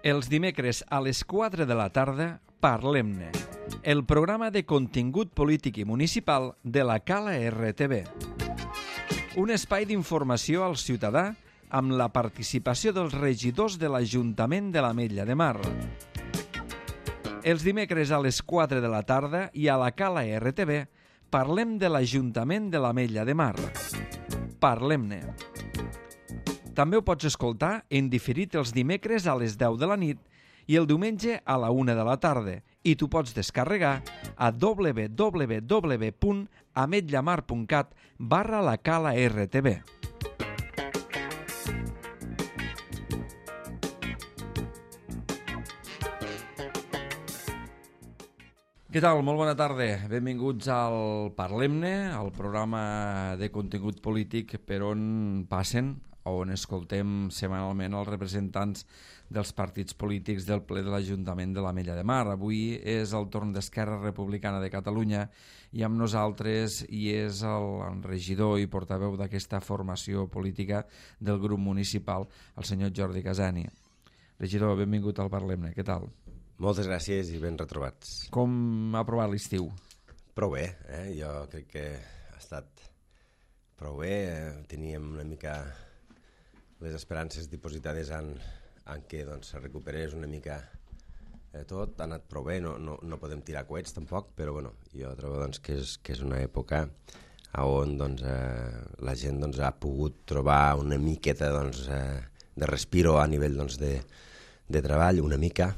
Els dimecres a les 4 de la tarda, Parlem-ne, el programa de contingut polític i municipal de la Cala RTV. Un espai d'informació al ciutadà amb la participació dels regidors de l'Ajuntament de l'Ametlla de Mar. Els dimecres a les 4 de la tarda i a la Cala RTV parlem de l'Ajuntament de l'Ametlla de Mar. Parlem-ne. També ho pots escoltar en diferit els dimecres a les 10 de la nit i el diumenge a la 1 de la tarda i t'ho pots descarregar a www.ametllamar.cat/la Cala RTV. Què tal? Molt bona tarda. Benvinguts al Parlem-ne, el programa de contingut polític per on passen, on escoltem setmanalment els representants dels partits polítics del ple de l'Ajuntament de l'Ametlla de Mar. Avui és el torn d'Esquerra Republicana de Catalunya i amb nosaltres hi és el regidor i portaveu d'aquesta formació política del grup municipal, el senyor Jordi Casani. Regidor, benvingut al Parlem-ne. Què tal? Moltes gràcies i ben retrobats. Com ha provat l'estiu? Prou bé, jo crec que ha estat prou bé. Teníem una mica les esperances dipositades en què doncs, se recuperés una mica tot. Ha anat prou bé, no podem tirar coets tampoc, però bueno, jo trobo doncs, que és una època on doncs, la gent doncs, ha pogut trobar una miqueta doncs, de respiro a nivell doncs, de treball, una mica,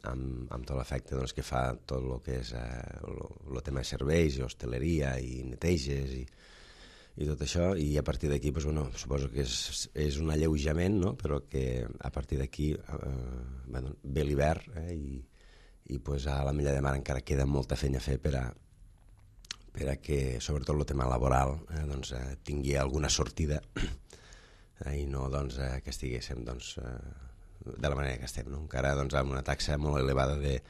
amb tot l'efecte doncs, que fa tot el que és el tema de serveis, hostaleria i neteges i tot això, i a partir d'aquí doncs, bueno, suposo que és un alleujament, no? Però que a partir d'aquí ve l'hivern i pues, a l'Ametlla de Mar encara queda molta feina a fer per a que sobretot el tema laboral doncs, tingui alguna sortida i no doncs, que estiguéssim doncs, de la manera que estem, no? Encara doncs, amb una taxa molt elevada de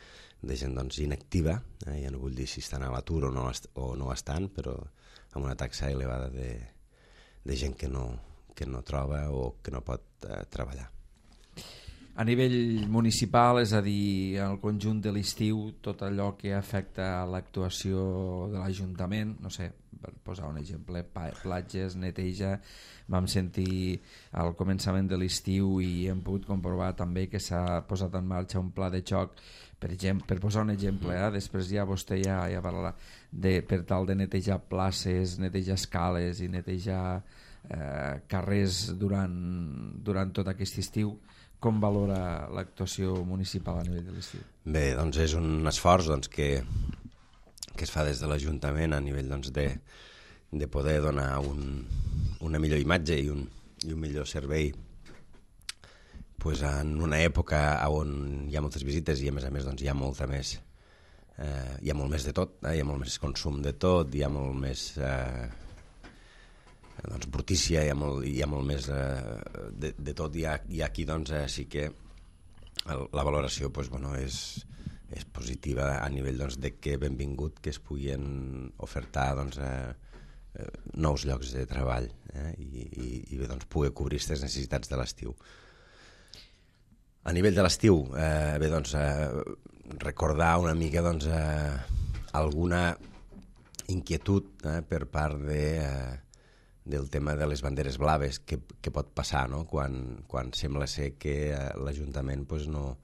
gent doncs, inactiva, ja no vull dir si estan a l'atur o no estan, però amb una taxa elevada de gent que no troba o que no pot treballar. A nivell municipal, és a dir, al conjunt de l'estiu, tot allò que afecta l'actuació de l'Ajuntament, no sé, per posar un exemple, platges, neteja, vam sentir al començament de l'estiu i hem pogut comprovar també que s'ha posat en marxa un pla de xoc, per posar un exemple, després ja vostè ja parlarà, per tal de netejar places, netejar escales i netejar carrers durant tot aquest estiu. Com valora l'actuació municipal a nivell de l'estiu? Bé, doncs és un esforç doncs, que es fa des de l'Ajuntament a nivell doncs, de poder donar una millor imatge i un millor servei pues, en una època on hi ha moltes visites i a més doncs, hi ha molt més de tot, hi ha molt més consum de tot, hi ha molt més doncs, brutícia, hi ha molt més de tot, i aquí doncs, sí que la valoració pues, bueno, és positiva a nivell doncs, de que benvingut que es puguin ofertar doncs, nous llocs de treball i doncs, poder cobrir aquestes necessitats de l'estiu. A nivell de l'estiu, doncs, recordar una mica doncs, alguna inquietud per part del tema de les banderes blaves que pot passar, no? Quan sembla ser que l'Ajuntament pues, no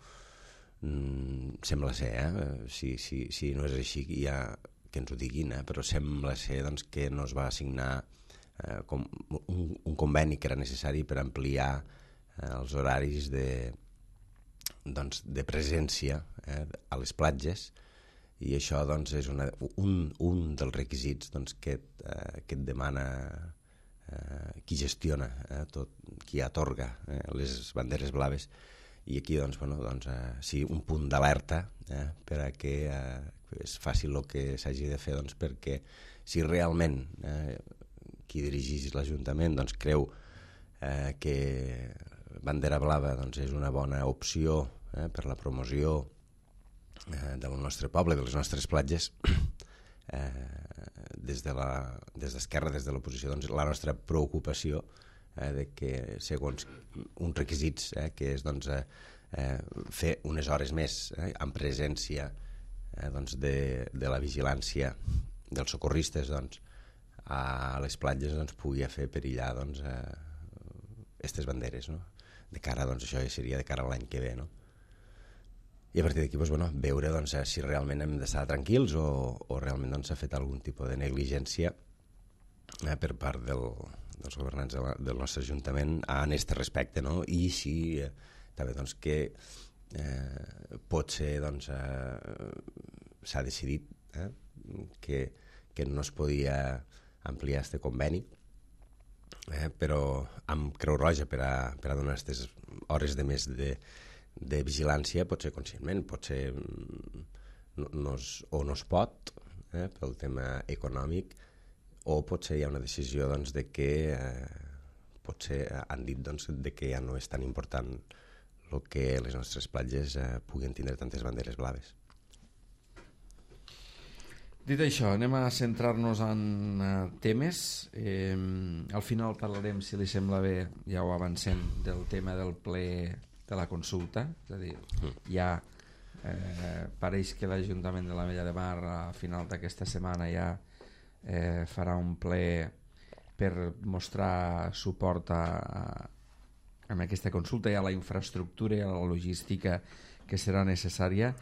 sembla ser, si no és així ja que ens ho diguin, però sembla ser doncs, que no es va assignar com un conveni que era necessari per ampliar els horaris de presència a les platges, i això doncs, és un dels requisits doncs, que et demana qui gestiona tot, qui atorga les banderes blaves, i aquí doncs, sí, un punt d'alerta per a que es faci el que s'hagi de fer, doncs, perquè si realment qui dirigeix l'Ajuntament doncs, creu que bandera blava doncs, és una bona opció per la promoció del nostre poble, de les nostres platges, des d'Esquerra, des de l'oposició, doncs, la nostra preocupació de que segons uns requisits, que és doncs, fer unes hores més en presència de la vigilància dels socorristes doncs, a les platges pugui fer perillar aquestes banderes, no? De cara, això ja seria de cara a l'any que ve, no? I a partir d'aquí veure si realment hem d'estar tranquils o realment s'ha fet algun tipus de negligència per part dels governants del nostre Ajuntament en aquest respecte, no? I així també que potser s'ha decidit que no es podia ampliar aquest conveni, però amb Creu Roja per a donar aquestes hores de més de vigilància, potser conscientment, potser no es pot pel tema econòmic, o potser hi ha una decisió de que potser han dit de que ja no és tan important el que les nostres platges puguin tindre tantes banderes blaves. Dit això, anem a centrar-nos en temes. Al final parlarem, si li sembla bé, ja ho avancem, del tema del ple de la consulta. És a dir, ja pareix que l'Ajuntament de l'Ametlla de Mar a final d'aquesta setmana ja farà un ple per mostrar suport a aquesta consulta i a la infraestructura i a la logística que serà necessària,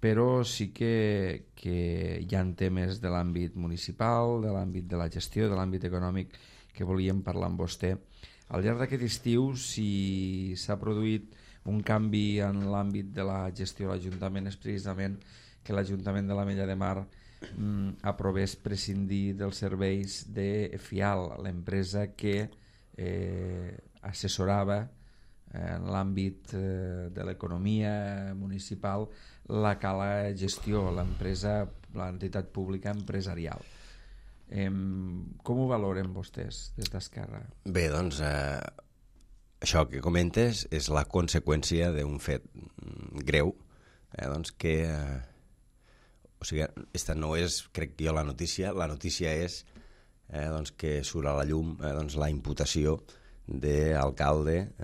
però sí que hi ha temes de l'àmbit municipal, de l'àmbit de la gestió, de l'àmbit econòmic que volíem parlar amb vostè. Al llarg d'aquest estiu, si s'ha produït un canvi en l'àmbit de la gestió de l'Ajuntament, és precisament que l'Ajuntament de l'Ametlla de Mar aprovés prescindir dels serveis de FIAL, l'empresa que assessorava en l'àmbit de l'economia municipal la Cala Gestió, l'entitat pública empresarial. Com ho valoren vostès des d'Esquerra? Bé, doncs això que comentes és la conseqüència d'un fet greu, que o sigui, aquesta no és, crec jo, la notícia és que surt a la llum la imputació de l'alcalde,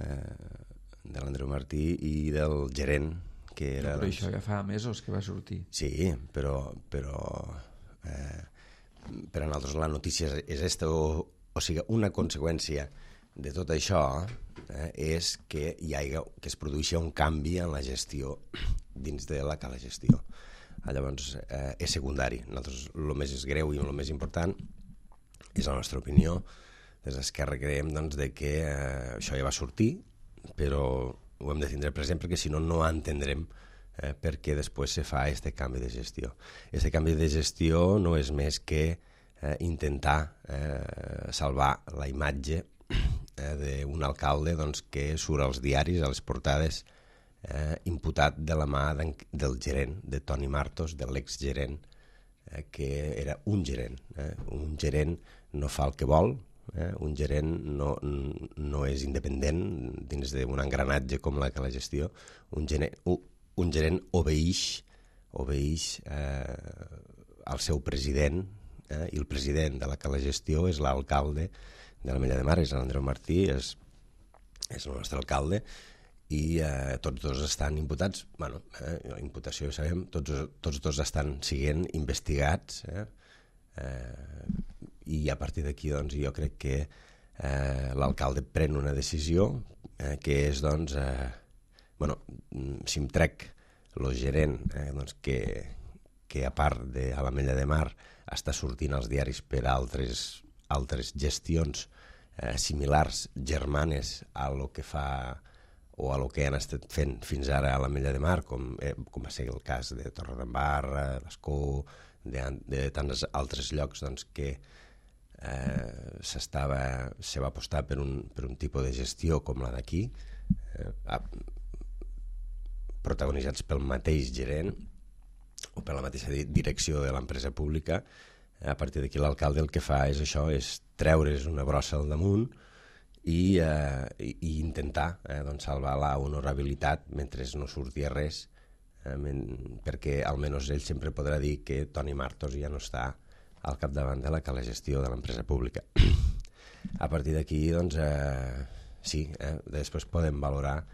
de l'Andreu Martí, i del gerent, que era... Però això ja fa mesos que va sortir. Sí, però per a nosaltres la notícia és aquesta, o sigui, una conseqüència de tot això és que es produeixi un canvi en la gestió dins de la Cala Gestió. Llavors és secundari. Nosaltres el més greu i el més important és la nostra opinió. Des d'Esquerra creiem que això ja va sortir, però ho hem de tindre present perquè si no entendrem per què després se fa aquest canvi de gestió. Aquest canvi de gestió no és més que intentar salvar la imatge d'un alcalde que surt als diaris, a les portades, imputat de la mà del gerent, de Toni Martos, de l'exgerent, que era un gerent. Un gerent no fa el que vol, un gerent no és independent dins d'un engranatge com la Gestió. Un gerent obeeix al seu president, i el president de la Gestió és l'alcalde de l'Ametlla de Mar, és l'Andreu Martí, és el nostre alcalde, i tots dos estan imputats. La imputació, ja sabem, tots dos estan sent investigats, i a partir d'aquí jo crec que l'alcalde pren una decisió que és, si em trec el gerent que a part de l'Ametlla de Mar està sortint als diaris per altres gestions similars, germanes a lo que fa o a lo que han estat fent fins ara a l'Ametlla de Mar, com va ser el cas de Torredembarra, l'Escó, de tants altres llocs que se va apostar per un tipus de gestió com la d'aquí, protagonitzats pel mateix gerent o per la mateixa direcció de l'empresa pública. A partir d'aquí l'alcalde el que fa és això, és treure's una brossa al damunt i intentar salvar la honorabilitat mentre no surti res, perquè almenys ell sempre podrà dir que Toni Martos ja no està al capdavant de la Cala Gestió de l'empresa pública. a partir d'aquí, doncs, sí, després podem valorar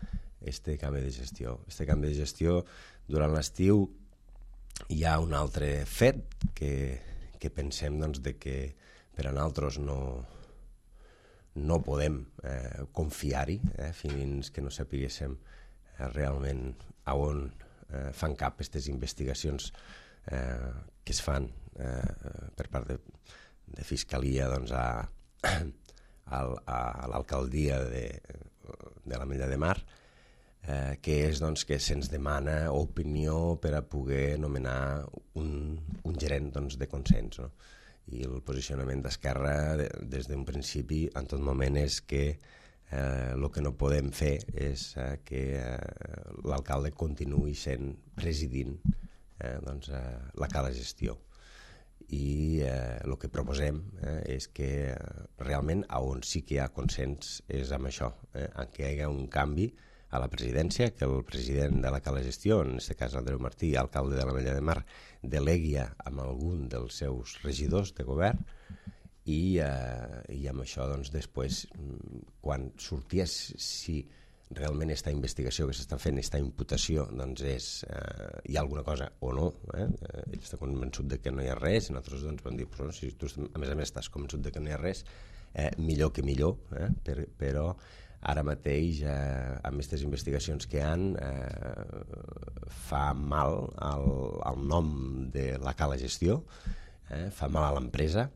este canvi de gestió. Este canvi de gestió, durant l'estiu, hi ha un altre fet que pensem doncs, de que per a nosaltres no podem confiar-hi fins que no sapiguéssim realment a on fan cap aquestes investigacions que es fan per part de Fiscalia doncs, a l'alcaldia de l'Ametlla de Mar, que és doncs, que se'ns demana opinió per a poder nomenar un gerent doncs, de consens, no? I el posicionament d'Esquerra des d'un principi en tot moment és que el que no podem fer és que l'alcalde continuï sent presidint doncs, la cala gestió. I el que proposem és que realment on sí que hi ha consens és amb això, en què hi ha un canvi a la presidència, que el president de la cala gestió, en aquest cas Andreu Martí, alcalde de l'Ametlla de Mar, delegui amb algun dels seus regidors de govern i amb això doncs, després, quan sorties si realment aquesta investigació que s'està fent, aquesta imputació, doncs hi ha alguna cosa o no, ell està convençut de que no hi ha res, i nosaltres doncs, vam dir, però si tu a més estàs convençut de que no hi ha res, millor que millor, però ara mateix, amb aquestes investigacions que hi ha, fa mal al nom de la cala gestió, fa mal a l'empresa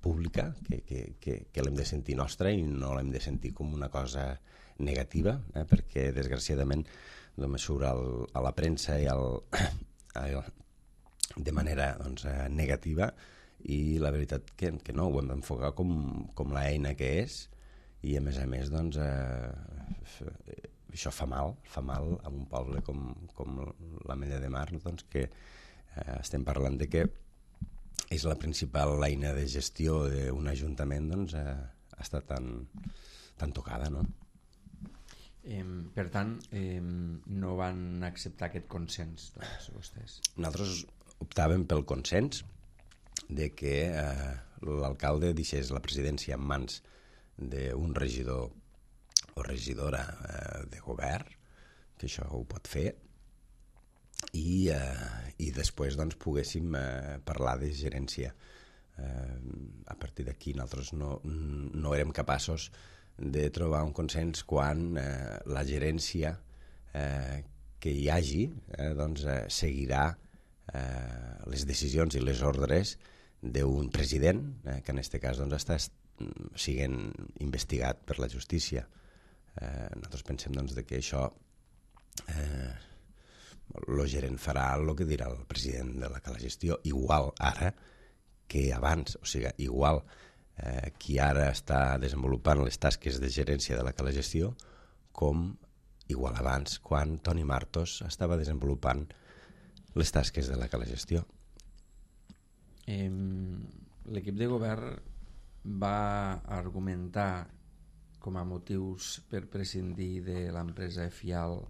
pública, que l'hem de sentir nostra i no l'hem de sentir com una cosa negativa, perquè desgraciadament només surt a la premsa i de manera doncs, negativa, i la veritat que no, ho hem d'enfocar com l'eina que és, i a més doncs, això fa mal a un poble com l'Ametlla de Mar, doncs, que estem parlant de que és la principal eina de gestió d'un ajuntament, doncs, està tan tocada, no? Per tant, no van acceptar aquest consens, doncs, vostès? Nosaltres optàvem pel consens de que l'alcalde deixés la presidència en mans d'un regidor o regidora de govern, que això ho pot fer, i després doncs, poguéssim parlar de gerència. A partir d'aquí nosaltres no érem capaços de trobar un consens quan la gerència que hi hagi doncs, seguirà les decisions i les ordres d'un president que en aquest cas doncs, està siguent investigat per la justícia. Nosaltres pensem doncs, que això el gerent farà el que dirà el president de la cala gestió, igual ara que abans, o sigui, igual qui ara està desenvolupant les tasques de gerència de la cala gestió com igual abans quan Toni Martos estava desenvolupant les tasques de la cala gestió. L'equip de govern va argumentar com a motius per prescindir de l'empresa Fial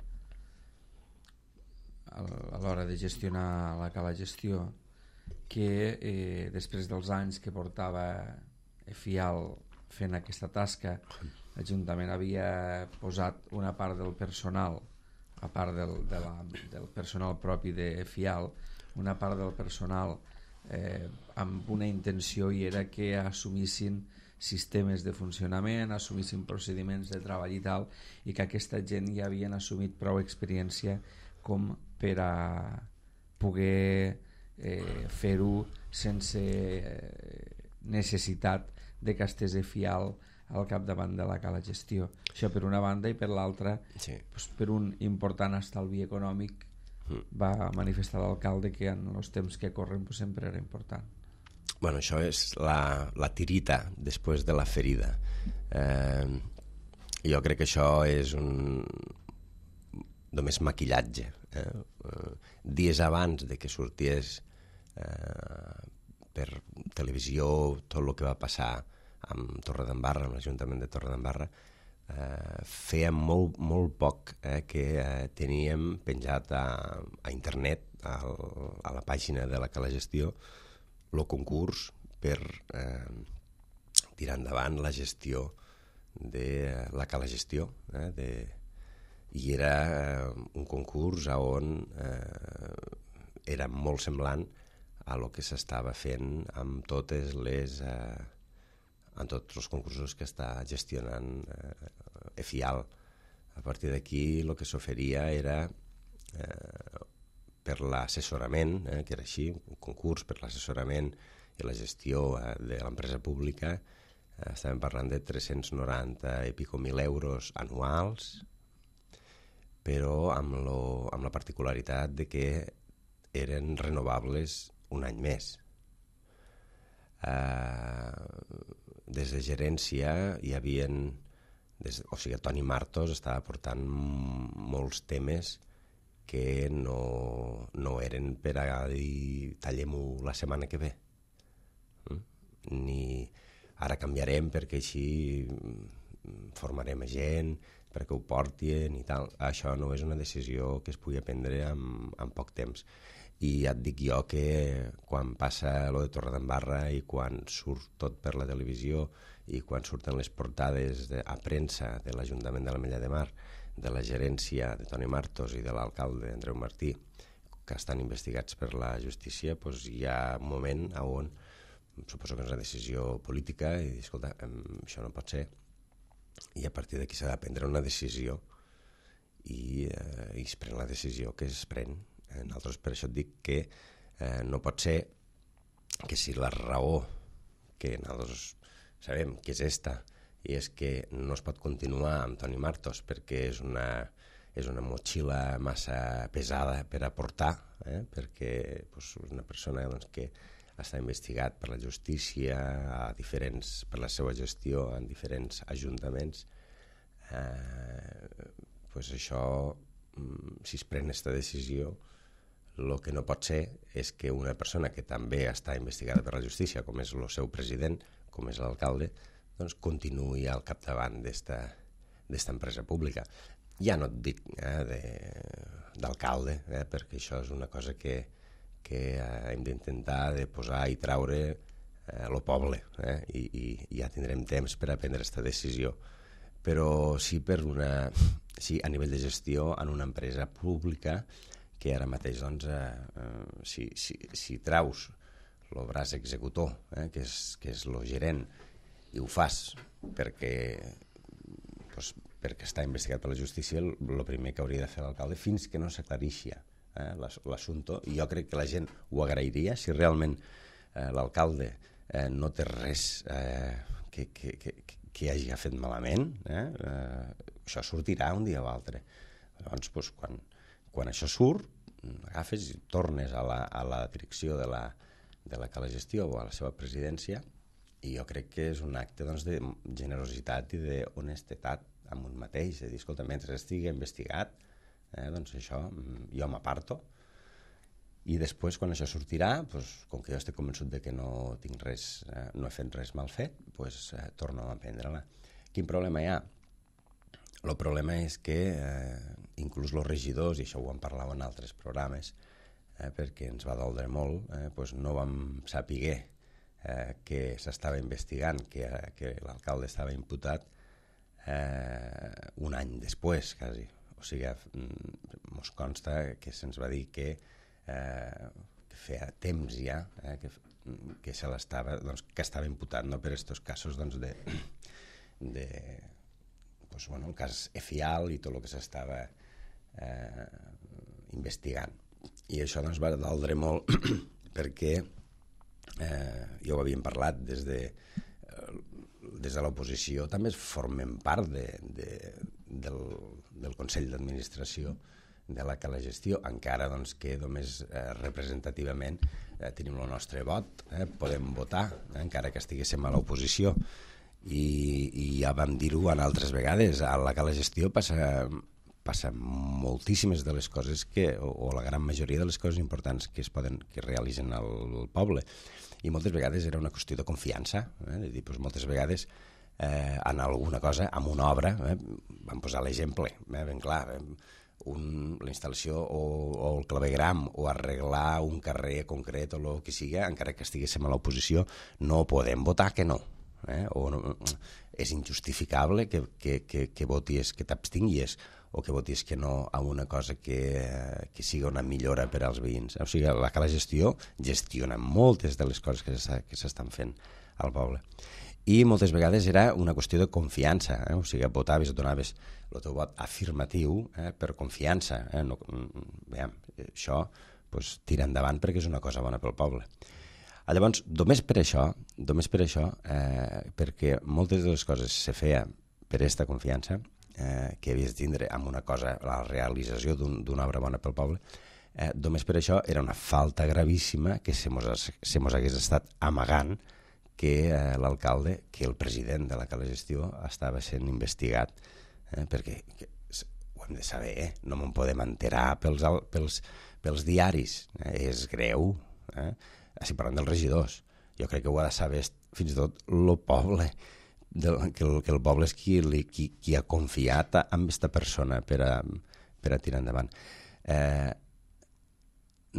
a l'hora de gestionar la cala gestió que després dels anys que portava Fial fent aquesta tasca, l'Ajuntament havia posat una part del personal, a part del personal propi de Fial, una part del personal amb una intenció, i era que assumissin sistemes de funcionament, assumissin procediments de treball i tal, i que aquesta gent ja havien assumit prou experiència com per a poder fer-ho sense necessitat de que estés Fial al capdavant de la cala gestió. Això per una banda, i per l'altra, sí, doncs, per un important estalvi econòmic va manifestar l'alcalde que en els temps que corren pues, sempre era important. Bueno, això és la tirita després de la ferida. Jo crec que això és només maquillatge. Dies abans de que sorties per televisió tot el que va passar amb Torredembarra, amb l'Ajuntament de Torredembarra, fèiem molt poc que teníem penjat a internet, a la pàgina de la cala gestió, el concurs per tirar endavant la gestió de la Cala Gestió, i era un concurs on era molt semblant a lo que s'estava fent amb tots els concursos que està gestionant EFIAL. A partir d'aquí el que s'oferia era per l'assessorament, que era així, un concurs per l'assessorament i la gestió de l'empresa pública. Estàvem parlant de 390 i pico mil euros anuals, però amb la particularitat de que eren renovables un any més. Des de gerència hi havia... O sigui, Toni Martos estava portant molts temes que no eren per a dir tallem-ho la setmana que ve. Ni ara canviarem perquè així formarem gent, perquè ho portin i tal. Això no és una decisió que es pugui prendre en poc temps. I ja et dic jo que quan passa lo de Torredembarra i quan surt tot per la televisió i quan surten les portades a premsa de l'Ajuntament de l'Ametlla de Mar, de la gerència de Toni Martos i de l'alcalde Andreu Martí, que estan investigats per la justícia, doncs hi ha un moment on suposo que és una decisió política i dir, escolta, això no pot ser, i a partir d'aquí s'ha de prendre una decisió i es pren la decisió que es pren. Nosaltres per això et dic que no pot ser que si la raó que nosaltres sabem que és esta i és que no es pot continuar amb Toni Martos perquè és una motxilla massa pesada per a portar, perquè és una persona que està investigat per la justícia per la seva gestió en diferents ajuntaments. Això, si es pren aquesta decisió, el que no pot ser és que una persona que també està investigada per la justícia, com és el seu president, com és l'alcalde, doncs continuï al capdavant d'esta empresa pública. Ja no et dic d'alcalde, perquè això és una cosa que hem d'intentar de posar i traure el poble, i ja tindrem temps per a prendre aquesta decisió. Però sí a nivell de gestió en una empresa pública que ara mateix, doncs, si traus el braç executor, que és el gerent, i ho fas perquè està investigat per la justícia, el primer que hauria de fer l'alcalde, fins que no s'aclarixi l'assumpte, i jo crec que la gent ho agrairia si realment l'alcalde no té res que hagi fet malament, això sortirà un dia o altre. Llavors, quan això surt, agafes i tornes a la direcció de la Cala Gestió o a la seva presidència, i jo crec que és un acte de generositat i d'honestedat amb un mateix, de dir, escolta, mentre estigui investigat, doncs això, jo m'aparto, i després, quan això sortirà, com que jo estic convençut de que no he fet res mal fet, torno a prendre-la. Quin problema hi ha? El problema és que inclús els regidors, i això ho vam parlar en altres programes, perquè ens va doldre molt, no vam saber que s'estava investigant, que l'alcalde estava imputat un any després, quasi. O sigui, ens consta que se'ns va dir que feia temps ja que estava imputat per aquests casos el cas EFIAL i tot el que s'estava investigant. I això va doldre molt perquè ja ho havíem parlat des de l'oposició, també formem part del Consell d'Administració de la Cala Gestió, encara que només representativament tenim el nostre vot, podem votar, encara que estiguéssim a l'oposició, i ja vam dir-ho en altres vegades, a la Cala Gestió passa moltíssimes de les coses o la gran majoria de les coses importants que realitzen al poble, i moltes vegades era una qüestió de confiança, de dir, moltes vegades en alguna cosa, en una obra, vam posar l'exemple, ben clar, la instal·lació o el clavegram o arreglar un carrer concret o el que sigui, encara que estiguéssim a l'oposició, no podem votar que no. o no, és injustificable que votis, que t'abstinguis o que votis que no a una cosa que siga una millora per als veïns. O sigui, la Cala Gestió gestiona moltes de les coses que s'estan fent al poble. I moltes vegades era una qüestió de confiança, o sigui, votaves, donaves el teu vot afirmatiu per confiança. No, això tira endavant perquè és una cosa bona pel poble. Llavors, només per això, perquè moltes de les coses se feia per aquesta confiança que havies de tindre amb una cosa, la realització d'una obra bona pel poble, només per això era una falta gravíssima que se mos hagués estat amagant que l'alcalde, que el president de la Cala Gestió estava sent investigat, perquè ho hem de saber, no me'n podem enterar pels diaris, és greu, estic parlant dels regidors, jo crec que ho ha de saber fins i tot el poble, que el poble és qui ha confiat en aquesta persona per a tirar endavant.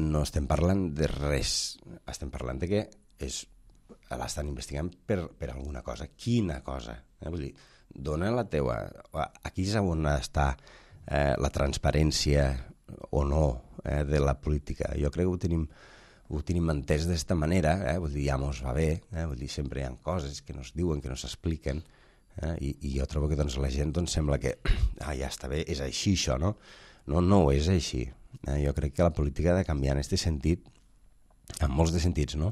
No estem parlant de res, estem parlant de que l'estan investigant per alguna cosa. Quina cosa? Vull dir, dona la teua... Aquí és on està la transparència o no de la política. Jo crec que ho tenim entès d'esta manera, vull dir, ja mos va bé, vull dir, sempre hi ha coses que no es diuen, que no s'expliquen, i jo trobo que la gent sembla que ja està bé, és així això, no? No ho és així. Jo crec que la política ha de canviar en aquest sentit, en molts de sentits, no?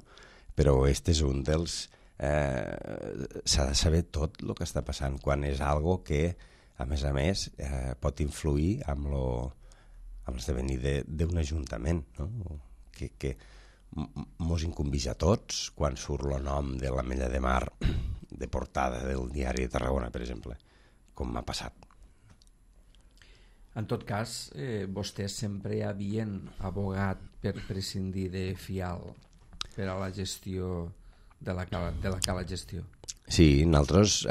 Però aquest és un dels... s'ha de saber tot el que està passant, quan és algo que, a més, pot influir amb l'esdevenir d'un ajuntament, no? Que mos incumbeix a tots quan surt el nom de l'Ametlla de Mar de portada del diari de Tarragona, per exemple, com m'ha passat. En tot cas, vostès sempre havien abogat per prescindir de Fial per a la gestió de la Cala Gestió. Sí, nosaltres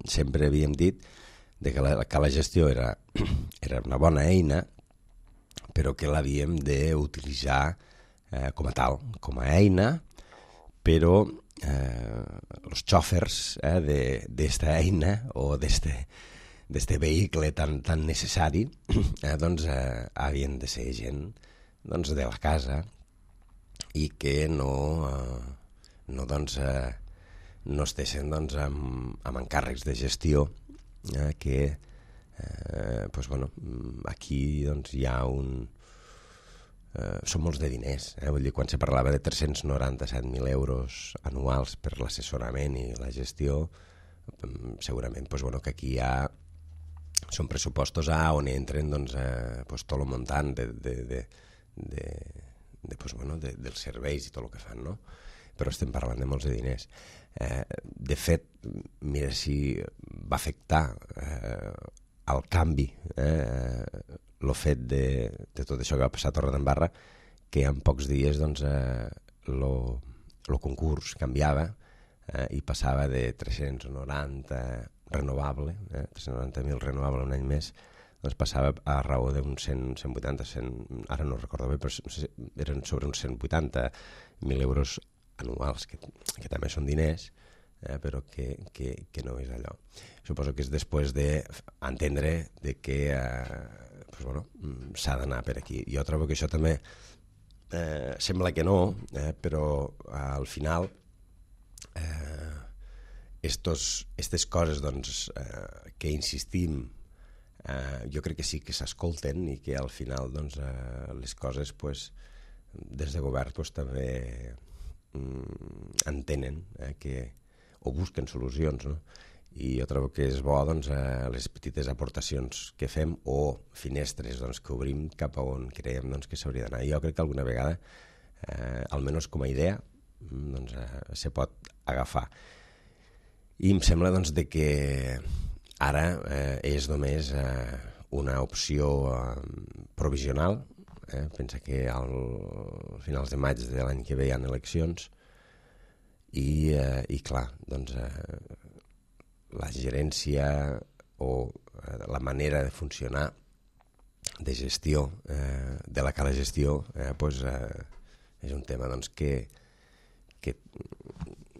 sempre havíem dit que la Cala Gestió era una bona eina, però que l'havíem d'utilitzar com a tal, com a eina, però els xòfers d'esta eina o d'este vehicle tan necessari havien de ser gent de la casa i que no estessin amb encàrrecs de gestió que aquí hi ha són molts de diners, vull dir, quan se parlava de 397.000 euros anuals per l'assessorament i la gestió, segurament que aquí són pressupostos on entren tot el muntant dels serveis i tot el que fan, no? Però estem parlant de molts de diners. De fet, mira si va afectar el canvi, el fet de tot això que va passar a Torredembarra, que en pocs dies el concurs canviava i passava de 390 renovable, 390.000 renovable un any més, passava a raó d'uns 180, ara no recordo bé, però eren sobre uns 180.000 euros anuals, que també són diners, però que no és allò. Suposo que és després d'entendre que s'ha d'anar per aquí. Jo trobo que això també sembla que no, però al final aquestes coses que insistim, jo crec que sí que s'escolten i que al final les coses des de govern també entenen o busquen solucions, no? I jo trobo que és bo les petites aportacions que fem o finestres que obrim cap a on creiem que s'hauria d'anar. Jo crec que alguna vegada, almenys com a idea, se pot agafar. I em sembla que ara és només una opció provisional. Pensa que a finals de maig de l'any que ve hi ha eleccions i clar, la gerència o la manera de funcionar de gestió de la Cala Gestió és un tema que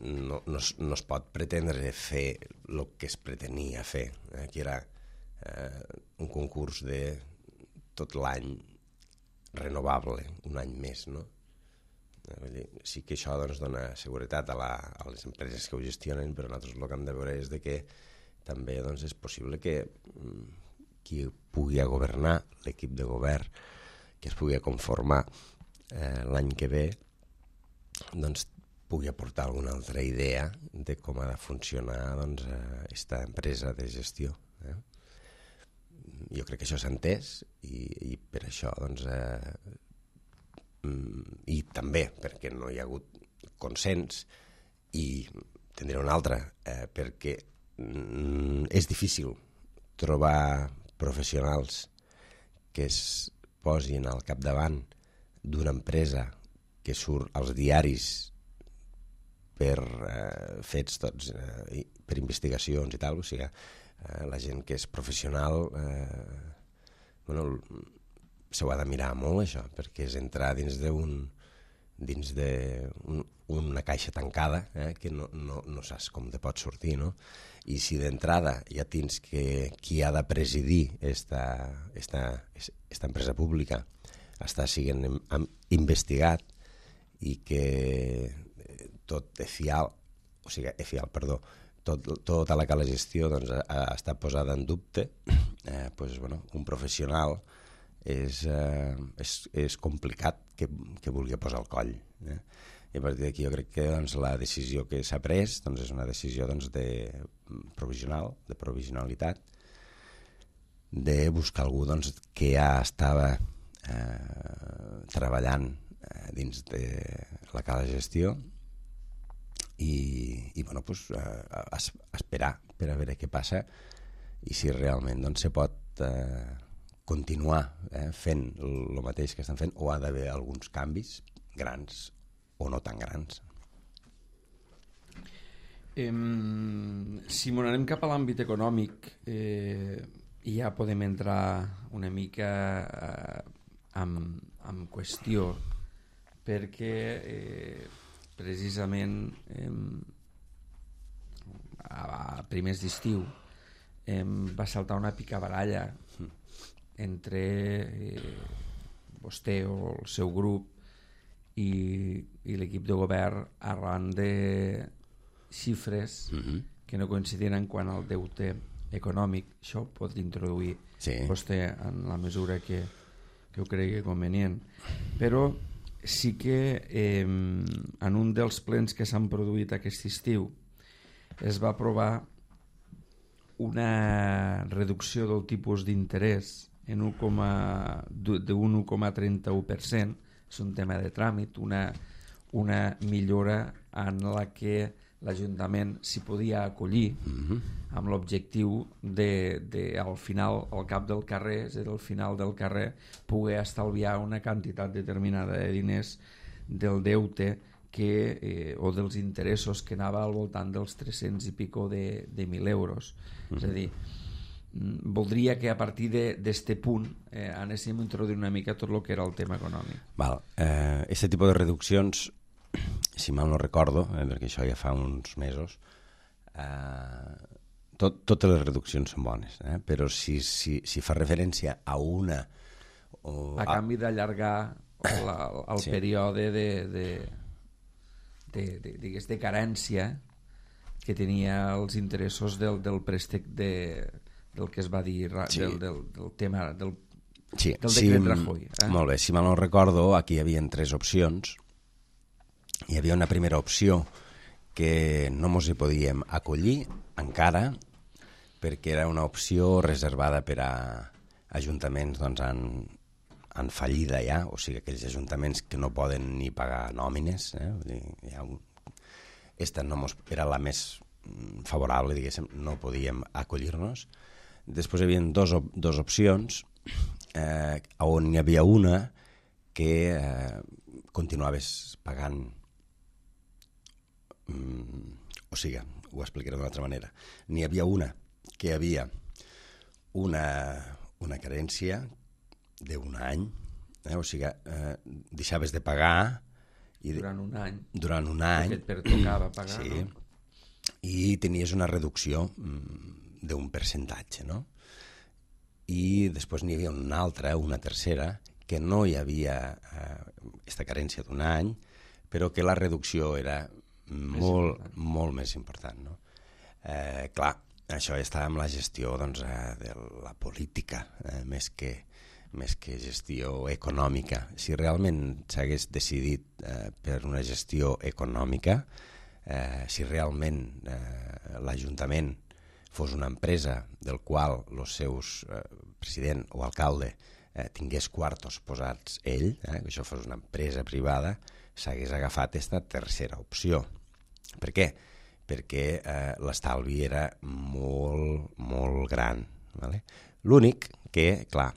no es pot pretendre fer el que es pretenia fer, que era un concurs de tot l'any renovable, un any més, no? Sí que això doncs, dona seguretat a les empreses que ho gestionen, però nosaltres el que hem de veure és de que també doncs, és possible que qui pugui governar, l'equip de govern, que es pugui conformar l'any que ve, doncs pugui aportar alguna altra idea de com ha de funcionar doncs, aquesta empresa de gestió. Jo crec que això s'ha entès i per això doncs, i també perquè no hi ha hagut consens i tindré un altre perquè és difícil trobar professionals que es posin al capdavant d'una empresa que surt als diaris per fets tots, per investigacions i tal, o sigui, la gent que és professional s'ho ha de mirar molt, això, perquè és entrar dins d'una caixa tancada que no saps com te pot sortir, no? I si d'entrada ja tens que qui ha de presidir esta empresa pública està sent investigat i que tota la gestió doncs, està posada en dubte, doncs, bueno, un professional és complicat que vulgui posar el coll. I a partir d'aquí jo crec que doncs, la decisió que s'ha pres doncs, és una decisió doncs, de provisionalitat, de buscar algú doncs, que ja estava treballant dins de la cala de gestió i bueno, pues, esperar per a veure què passa i si realment doncs, se pot continuar fent el mateix que estan fent o ha d'haver alguns canvis grans o no tan grans. Si m'ho anem cap a l'àmbit econòmic ja podem entrar una mica en qüestió perquè precisament a primers d'estiu va saltar una picabaralla entre vostè o el seu grup i l'equip de govern arran de xifres que no coincidien en quant al deute econòmic. Això ho pot introduir vostè en la mesura que ho cregui convenient. Però sí que en un dels plens que s'han produït aquest estiu es va aprovar una reducció del tipus d'interès en d'un 1,31%. És un tema de tràmit, una millora en la que l'Ajuntament s'hi podia acollir amb l'objectiu de al final, al cap del carrer, és a dir, al final del carrer, poder estalviar una quantitat determinada de diners del deute o dels interessos que anava al voltant dels 300 i pico de 1.000 euros. És a dir, voldria que a partir d'este punt anéssim a introduir una mica tot el que era el tema econòmic. Este tipus de reduccions, si mal no recordo, perquè això ja fa uns mesos, totes les reduccions són bones, però si fa referència a una... A canvi d'allargar el període de carència que tenia els interessos del préstec del que es va dir del tema del decret Rajoy. Molt bé, si mal no recordo, aquí hi havia 3 opcions. Hi havia una primera opció que no ens hi podíem acollir encara perquè era una opció reservada per a ajuntaments doncs, en fallida ja, o sigui, aquells ajuntaments que no poden ni pagar nòmines. Esta no era la més favorable, diguéssim, no podíem acollir-nos. Després hi havia dos opcions on hi havia una que continuaves pagant, o sigui, ho explicaré d'una altra manera. N'hi havia una que hi havia una carència d'un any, o sigui, deixaves de pagar Durant un any. Durant un any. Que et pertocava pagar, sí. no? I tenies una reducció d'un percentatge, no? I després n'hi havia una altra, una tercera, que no hi havia aquesta carència d'un any, però que la reducció era molt més important, no? Clar, això està amb la gestió doncs, de la política, més que gestió econòmica. Si realment s'hagués decidit per una gestió econòmica, si realment l'Ajuntament fos una empresa del qual els seus president o alcalde tingués quartos posats ell, que això fos una empresa privada, s'hagués agafat aquesta tercera opció. Per què? Perquè l'estalvi era molt, molt gran. Vale? L'únic que, clar,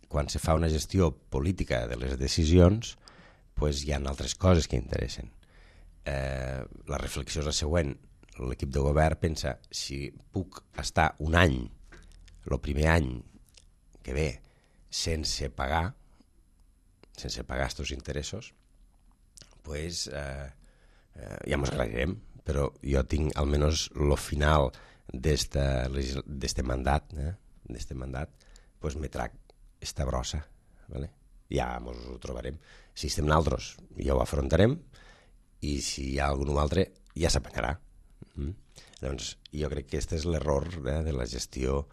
quan se fa una gestió política de les decisions, pues hi ha altres coses que interessen. La reflexió és la següent. L'equip de govern pensa, si puc estar un any, el primer any que ve, sense pagar estos interessos, pues ja mos arreglarem, però jo tinc almenys el final d'este mandat, pues me trac esta brossa, ¿vale? Ja mos ho trobarem. Si estem nosaltres, ja ho afrontarem, i si hi ha algun altre, ja s'apanyarà. Doncs jo crec que aquest és l'error de la gestió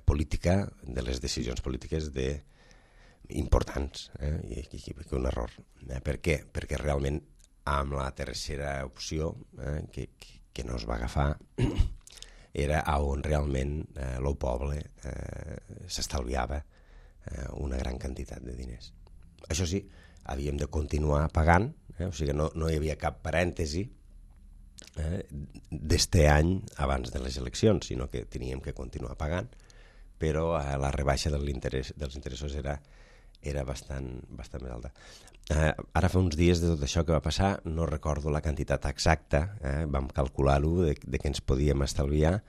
política, de les decisions polítiques importants, i un error. Per què? Perquè realment amb la tercera opció que no es va agafar era on realment el poble s'estalviava una gran quantitat de diners. Això sí, havíem de continuar pagant, o sigui, no hi havia cap parèntesi d'este any abans de les eleccions, sinó que teníem que continuar pagant, però la rebaixa dels interessos era bastant més alta. Ara fa uns dies de tot això que va passar, no recordo la quantitat exacta, vam calcular-ho de què ens podíem estalviar.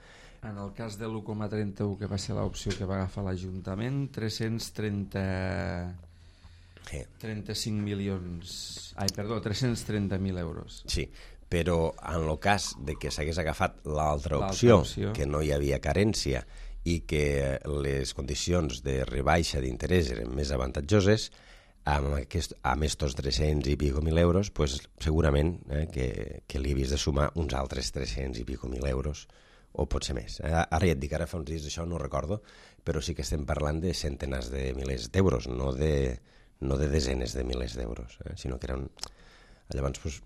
En el cas de l'1,31, que va ser l'opció que va agafar l'Ajuntament, 330.000 euros. Sí, però en el cas de que s'hagués agafat l'altra opció, que no hi havia carència i que les condicions de rebaixa d'interès eren més avantatjoses, amb estos 300 i pico mil euros, pues, segurament que li havies de sumar uns altres 300 i pico mil euros, o potser més. Ara ja et dic, ara fa uns dies d'això no recordo, però sí que estem parlant de centenars de milers d'euros, no de desenes de milers d'euros, sinó que eren... Llavors, pues,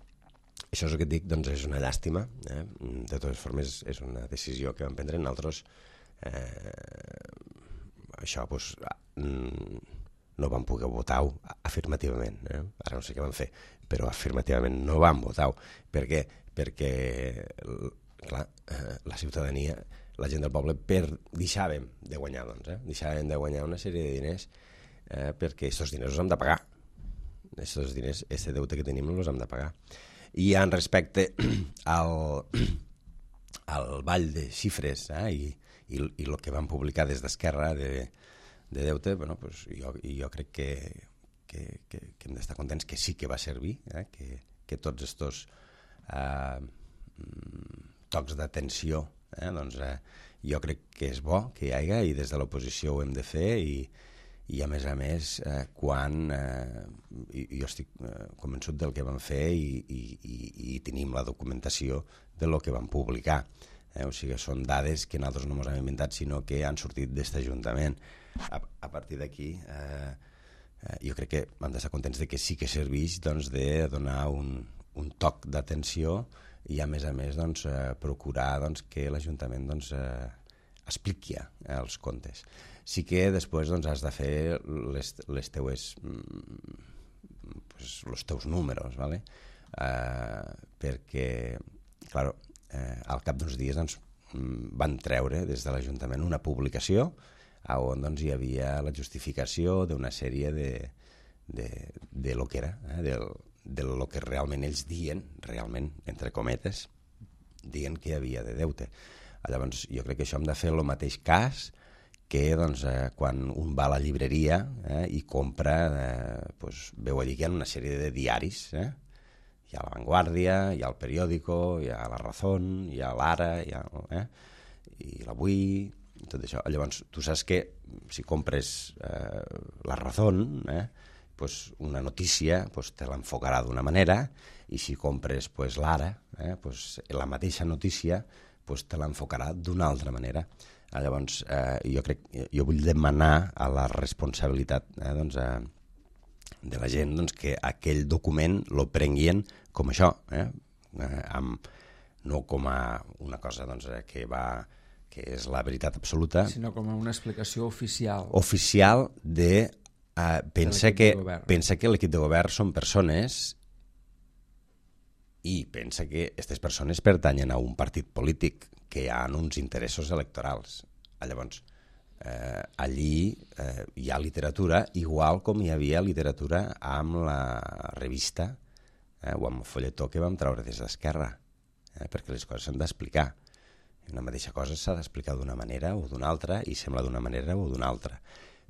això és el que et dic, doncs és una llàstima. De totes formes, és una decisió que vam prendre nosaltres. Això, pues, no vam poder votar-ho afirmativament. Ara no sé què vam fer, però afirmativament no vam votar-ho. Per què? Perquè, clar, la ciutadania, la gent del poble, deixàvem de guanyar, deixàvem de guanyar una sèrie de diners perquè aquests diners els hem de pagar. Aquests diners, aquest deute que tenim, els hem de pagar. I en respecte al ball de xifres i el que van publicar des d'Esquerra de deute, bueno, pues jo crec que hem d'estar contents que sí que va servir, que tots estos tocs d'atenció, doncs jo crec que és bo que hi hagi, i des de l'oposició ho hem de fer, i a més, quan jo estic convençut del que vam fer i tenim la documentació de lo que vam publicar. O sigui, són dades que nosaltres no ens hem inventat, sinó que han sortit d'aquest Ajuntament. A partir d'aquí, jo crec que hem d'estar contents de que sí que serveix de donar un toc d'atenció i, a més, procurar que l'Ajuntament expliqui els comptes. Sí que després has de fer els teus números, ¿vale? Perquè, clar, al cap d'uns dies van treure des de l'Ajuntament una publicació on hi havia la justificació d'una sèrie de lo que era, de lo que realment ells dien, realment, entre cometes, dient que hi havia de deute. Llavors, jo crec que això hem de fer el mateix cas que doncs, quan un va a la llibreria i compra, veu allí que hi ha una sèrie de diaris. Hi ha La Vanguardia, hi ha El Periódico, hi ha La Razón, hi ha l'Ara, i l'Avui, tot això. Llavors, tu saps que si compres La Razón, una notícia te l'enfocarà d'una manera, i si compres l'Ara, la mateixa notícia te l'enfocarà d'una altra manera. Llavors, jo vull demanar a la responsabilitat de la gent que aquell document lo prenguin com això, no com a una cosa que és la veritat absoluta, sinó com una explicació oficial. Oficial de... pensa que l'equip de govern són persones i pensa que aquestes persones pertanyen a un partit polític que hi ha uns interessos electorals. Llavors, allí hi ha literatura, igual com hi havia literatura amb la revista o amb el folletó que vam treure des d'Esquerra, perquè les coses s'han d'explicar. Una mateixa cosa s'ha d'explicar d'una manera o d'una altra i sembla d'una manera o d'una altra.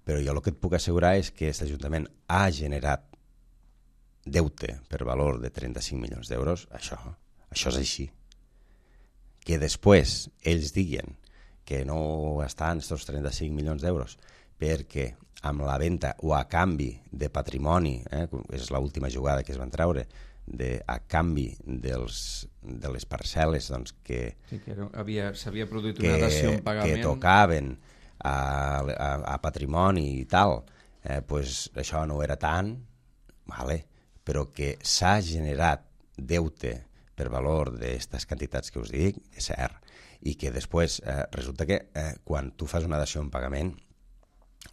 Però jo el que et puc assegurar és que aquest Ajuntament ha generat deute per valor de 35 milions d'euros. Això és així. Que després ells diguen que no estan aquests 35 milions d'euros perquè amb la venda o a canvi de patrimoni, és l'última jugada que es van treure, a canvi de les parcel·les que s'havia produït una dació en pagament que tocaven a patrimoni i tal, això no era tant, però que s'ha generat deute per valor d'aquestes quantitats que us dic, és cert, i que després resulta que quan tu fas una dació en pagament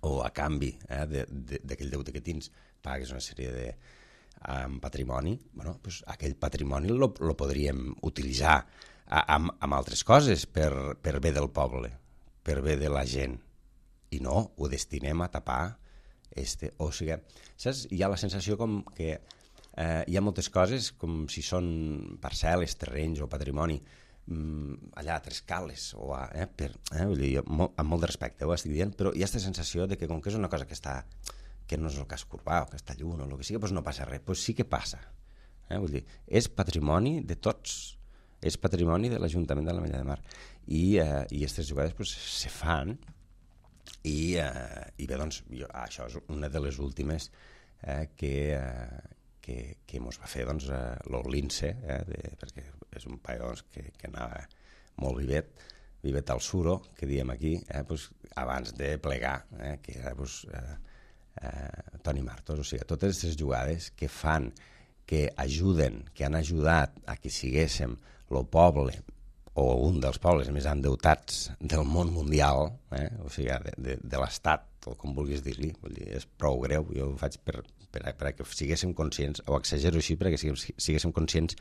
o a canvi d'aquell deute que tens pagues una sèrie de patrimoni, aquell patrimoni lo podríem utilitzar amb altres coses per bé del poble, per bé de la gent, i no ho destinem a tapar o sigui, saps? Hi ha la sensació com que hi ha moltes coses com si són parcel·les, terrenys o patrimoni allà a Trescales vull dir, amb molt de respecte ho estic dient, però hi ha aquesta sensació de que com que és una cosa que no és el casc urbà o que està lluny o el que sigui, doncs no passa res. Doncs sí que passa. Vull dir, és patrimoni de tots, és patrimoni de l'Ajuntament de l'Ametlla de Mar. I aquestes jugades se fan i bé, doncs, això és una de les últimes que mos va fer l'Lince, perquè és un paio que anava molt vivet al suro, que diem aquí, abans de plegar, que era Toni Martos. O sigui, totes aquestes jugades que fan, que ajuden, que han ajudat a que siguéssim el poble o un dels pobles més endeutats del món mundial, o sigui, de l'estat, o com vulguis dir-li, és prou greu. Jo ho faig perquè siguéssim conscients, o exagero així, perquè siguéssim conscients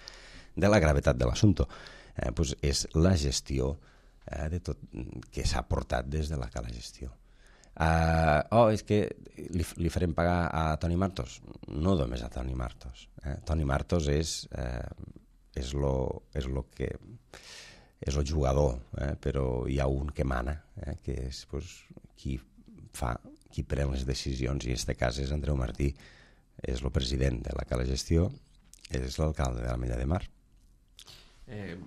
de la gravetat de l'assumpte. És la gestió de tot que s'ha portat des de la Cala Gestió. És que li farem pagar a Toni Martos? No només a Toni Martos. Toni Martos és el jugador, però hi ha un que mana, que és qui pren les decisions, i en aquest cas és Andreu Martí, és el president de la Cala Gestió, és l'alcalde de l'Ametlla de Mar.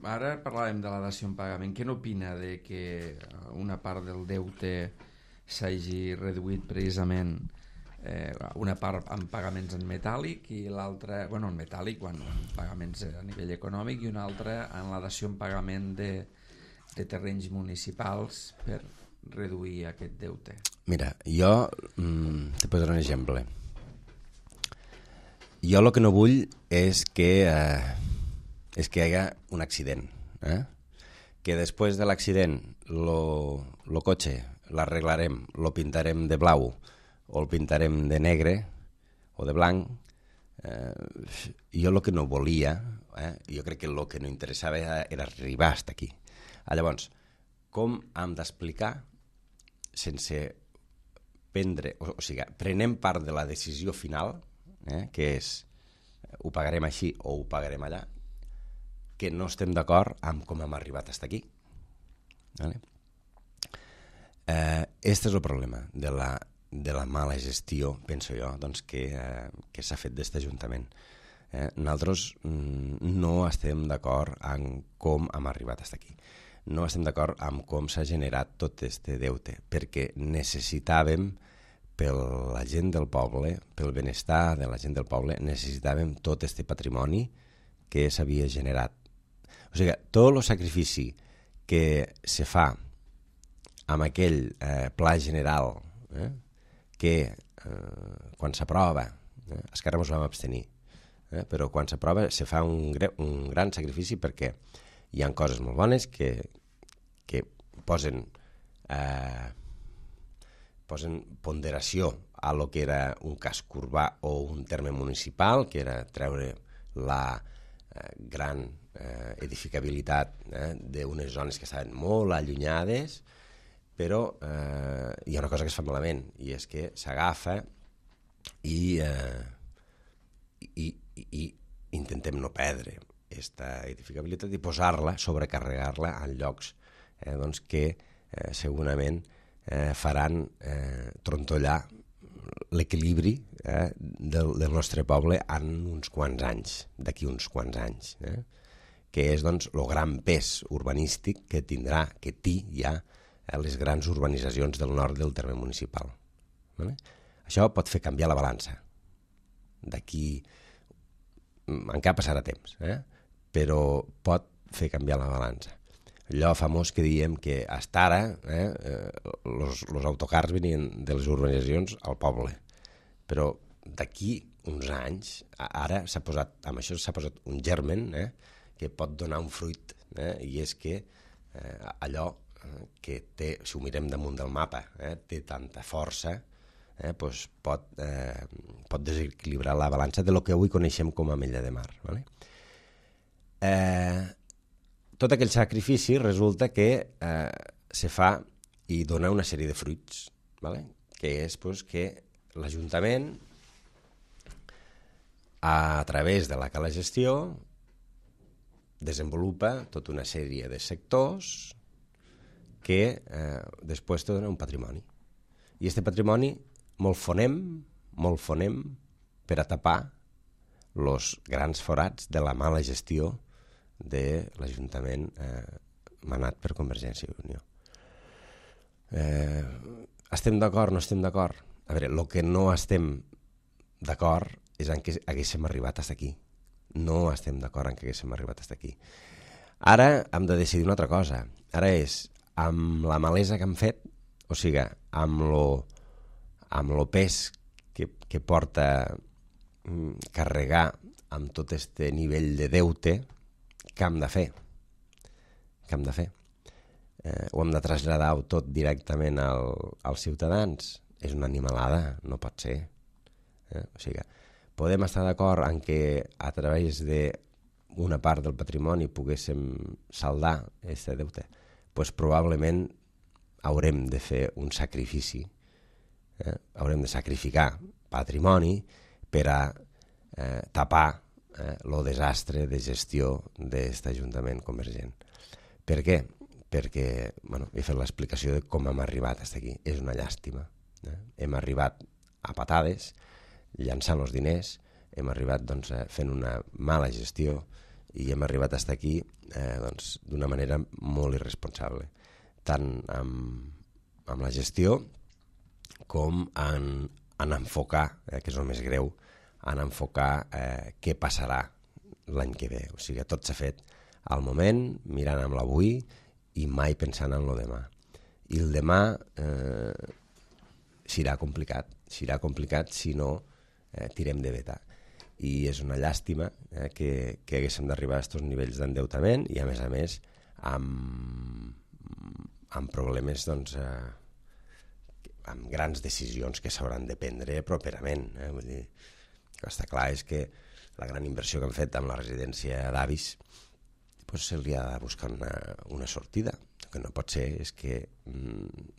Ara parlàvem de la dació en pagament. Què n'opina de que una part del deute s'hagi reduït precisament, una part en pagaments en metàl·lic i l'altra, en metàl·lic, en pagaments a nivell econòmic, i una altra en la dació en pagament de terrenys municipals per reduir aquest deute? Mira, jo te posaré un exemple. Jo el que no vull és que hi hagi un accident, que després de l'accident el cotxe l'arreglarem, lo pintarem de blau o el pintarem de negre o de blanc. Jo el que no volia, jo crec que el que no interessava era arribar fins aquí. Llavors, com hem d'explicar sense prendre, o sigui, prenem part de la decisió final, que és ho pagarem així o ho pagarem allà, que no estem d'acord amb com hem arribat fins aquí. Vale? Este és el problema de la mala gestió, penso jo, doncs, que s'ha fet d'aquest Ajuntament. Nosaltres no estem d'acord en com hem arribat fins aquí. No estem d'acord amb com s'ha generat tot aquest deute, perquè necessitàvem, per la gent del poble, pel benestar de la gent del poble, necessitàvem tot aquest patrimoni que s'havia generat. O sigui, tot el sacrifici que se fa amb aquell pla general que quan s'aprova, Esquerra ens vam abstenir, però quan s'aprova se fa un gran sacrifici perquè hi ha coses molt bones que posen ponderació a lo que era un casc urbà o un terme municipal, que era treure la gran edificabilitat d'unes zones que estaven molt allunyades, però hi ha una cosa que es fa malament, i és que s'agafa i intentem no perdre aquesta edificabilitat i posar-la, sobrecarregar-la en llocs doncs que segurament faran trontollar l'equilibri del nostre poble en uns quants anys, d'aquí uns quants anys, que és doncs el gran pes urbanístic que té ja les grans urbanitzacions del nord del terme municipal. Això pot fer canviar la balança. D'aquí encara passarà temps, però pot fer canviar la balança. Allò famós que diem que hasta ara els autocars venien de les urbanitzacions al poble, però d'aquí uns anys, ara amb això s'ha posat un germen que pot donar un fruit, i és que allò que té, si ho mirem damunt del mapa, té tanta força, doncs pot desequilibrar la balança de lo que avui coneixem com a Ametlla de Mar. Tot aquell sacrifici resulta que se fa i dona una sèrie de fruits, que és que l'Ajuntament, a través de la cala gestió, desenvolupa tota una sèrie de sectors que després te dona un patrimoni. I aquest patrimoni molt fonem per a tapar els grans forats de la mala gestió de l'Ajuntament manat per Convergència i Unió. Estem d'acord, no estem d'acord? A veure, el que no estem d'acord és en què haguéssim arribat fins aquí. No estem d'acord en què haguéssim arribat fins aquí. Ara hem de decidir una altra cosa. Ara és, amb la malesa que hem fet, o sigui, amb lo pes que porta carregar amb tot aquest nivell de deute, què hem de fer? Què hem de fer? Ho hem de traslladar tot directament als ciutadans? És una animalada, no pot ser. O sigui, podem estar d'acord en que a través d'una part del patrimoni poguéssim saldar aquest deute? Doncs probablement haurem de fer un sacrifici, haurem de sacrificar patrimoni per a tapar el desastre de gestió d'aquest Ajuntament convergent. Per què? Perquè he fet l'explicació de com hem arribat fins aquí. És una llàstima. Hem arribat a patades, llançant els diners, hem arribat fent una mala gestió i hem arribat fins aquí d'una manera molt irresponsable, tant amb la gestió com en enfocar, que és el més greu, en enfocar què passarà l'any que ve. O sigui, tot s'ha fet al moment, mirant amb l'avui i mai pensant en el demà. I el demà serà complicat si no tirem de veta. I és una llàstima que haguéssim d'arribar a aquests nivells d'endeutament i, a més, amb problemes, amb grans decisions que s'hauran de prendre properament. Vull dir, el que està clar és que la gran inversió que han fet amb la residència d'avis se li ha de buscar una sortida. El que no pot ser és que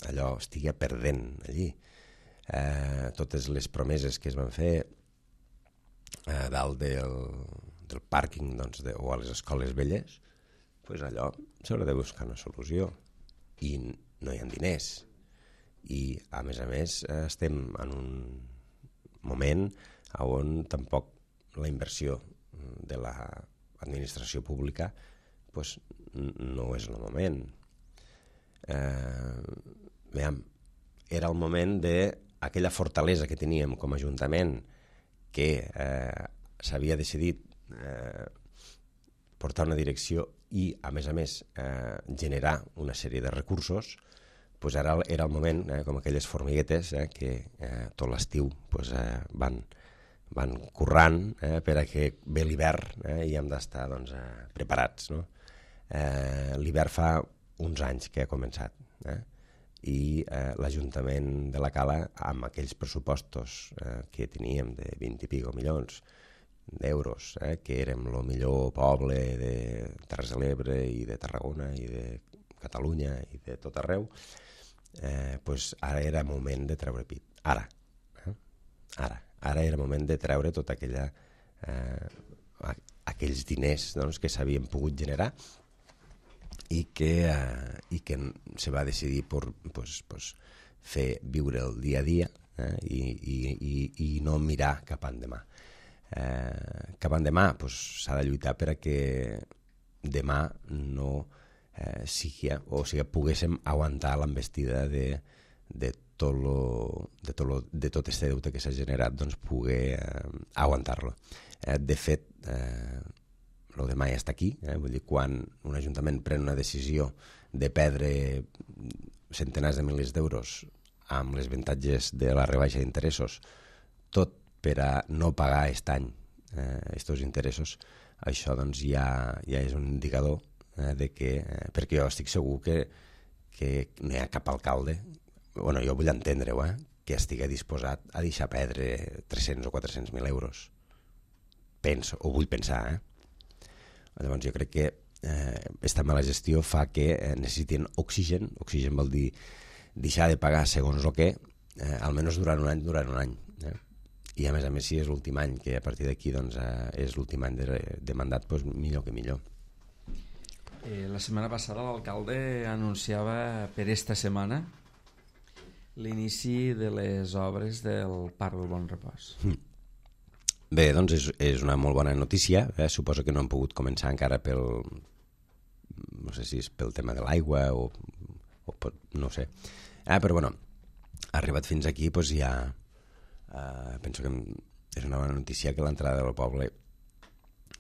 allò estigui perdent allí. Totes les promeses que es van fer a dalt del pàrquing o a les escoles velles, allò s'haurà de buscar una solució i no hi ha diners. I, a més, estem en un moment on tampoc la inversió de l'administració pública pues, no és el moment. Era el moment d'aquella fortalesa que teníem com a Ajuntament que s'havia decidit portar una direcció i, a més, generar una sèrie de recursos, pues ara era el moment, com aquelles formiguetes que tot l'estiu pues, van currant per a que ve l'hivern i hem d'estar doncs, preparats. No? L'hivern fa uns anys que ha començat i l'Ajuntament de la Cala, amb aquells pressupostos que teníem de 20 i pico milions d'euros, que érem el millor poble de Terres de l'Ebre i de Tarragona i de Catalunya i de tot arreu, pues ara era moment de treure pit. Ara era moment de treure tot aquells diners doncs, que s'havien pogut generar i que se va decidir pues, fer viure el dia a dia i no mirar cap endemà. Cap endemà pues, s'ha de lluitar per a que demà no poguéssim aguantar l'envestida de tot este deute que s'ha generat, doncs poder aguantar-lo. De fet, el demà ja està aquí, vull dir, quan un ajuntament pren una decisió de perdre centenars de milers d'euros amb les avantatges de la rebaixa d'interessos, tot per a no pagar aquest any aquests interessos, això doncs ja és un indicador de que, perquè jo estic segur que no hi ha cap alcalde, bueno, jo vull entendre-ho, que estigui disposat a deixar perdre 300 o 400.000 euros. Penso, o vull pensar, Llavors jo crec que aquesta mala gestió fa que necessitin oxigen. Oxigen vol dir deixar de pagar segons el que, almenys durant un any. I a més, si és l'últim any, que a partir d'aquí doncs, és l'últim any de mandat, doncs millor que millor. La setmana passada l'alcalde anunciava per esta setmana l'inici de les obres del Parc del Bon Repòs. Bé, doncs és una molt bona notícia. Suposo que no hem pogut començar encara no sé si és pel tema de l'aigua o no ho sé. Però bueno, arribat fins aquí doncs ja penso que és una bona notícia que l'entrada del poble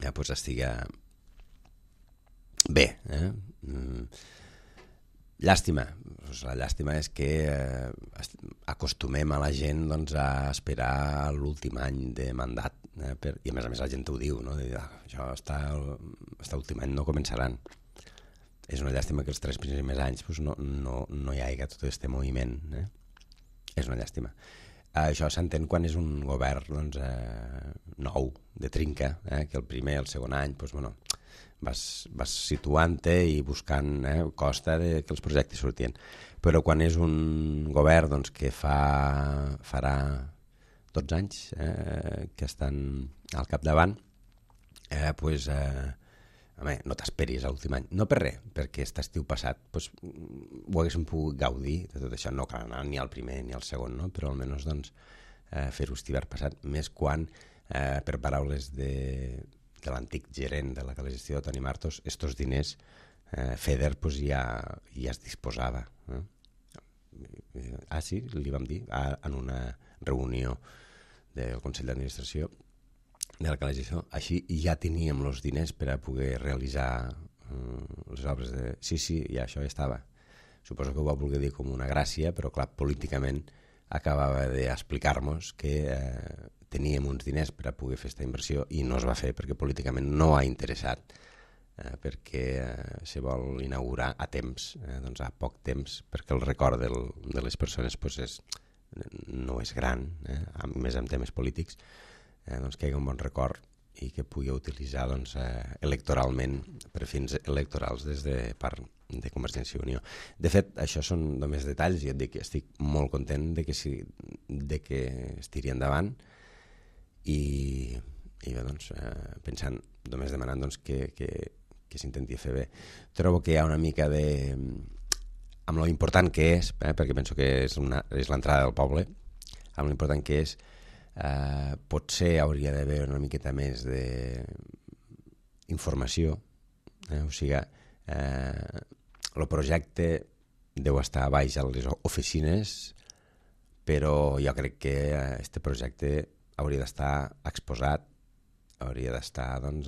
ja doncs estigui bé. Llàstima. La llàstima és que acostumem a la gent doncs, a esperar l'últim any de mandat i a més la gent ho diu, no? Això està últim any no començaran. És una llàstima que els 3 primers anys doncs, no hi hagi tot aquest moviment. És una llàstima. Això s'entén quan és un govern doncs, nou, de trinca, que el primer i el segon any doncs, bueno, vas situant-te i buscant costa que els projectes sortien. Però quan és un govern doncs, que farà 12 anys que estan al capdavant, doncs, no t'esperis a l'últim any. No per res, perquè aquest estiu passat doncs, ho haguéssim pogut gaudir de tot això. No cal anar ni al primer ni al segon, no? Però almenys doncs, fer-ho aquest hivern passat, més quan, per paraules de l'antic gerent de la gestió, Toni Martos, estos diners FEDER pues, ja es disposava. Sí, li vam dir en una reunió del Consell d'Administració de la gestió. Així ja teníem els diners per a poder realitzar les obres de... Sí, ja això ja estava. Suposo que ho va voler dir com una gràcia, però clar, políticament acabava d'explicar-nos que teníem uns diners per a poder fer aquesta inversió i no es va fer perquè políticament no ha interessat, perquè se vol inaugurar a temps, doncs a poc temps, perquè el record de les persones doncs no és gran, a més en temes polítics, doncs que hi hagi un bon record i que pugui utilitzar doncs, electoralment per fins electorals des de part de Convergència i Unió. De fet, això són només detalls i et dic que estic molt content de que es tiri endavant i bé, doncs, pensant, només demanant doncs, que s'intenti fer bé. Trobo que hi ha una mica de... amb lo important que és, perquè penso que és l'entrada del poble, amb lo important que és, potser hauria d'haver una miqueta més d'informació, o sigui, el projecte deu estar a baix a les oficines, però jo crec que aquest projecte hauria d'estar exposat, hauria d'estar, doncs,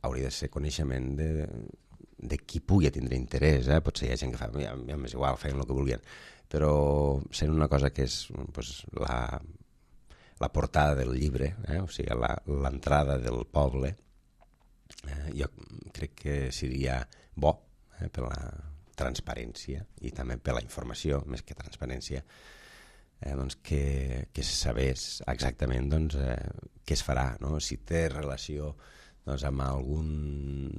hauria de ser coneixement de qui pugui tindre interès, potser hi ha gent que fa, m'és igual, feien el que volien, però sent una cosa que és pues, la portada del llibre, o sigui, l'entrada del poble, jo crec que seria bo per la transparència i també per la informació, més que transparència, doncs que se sabés exactament doncs, què es farà, no? Si té relació doncs, amb algun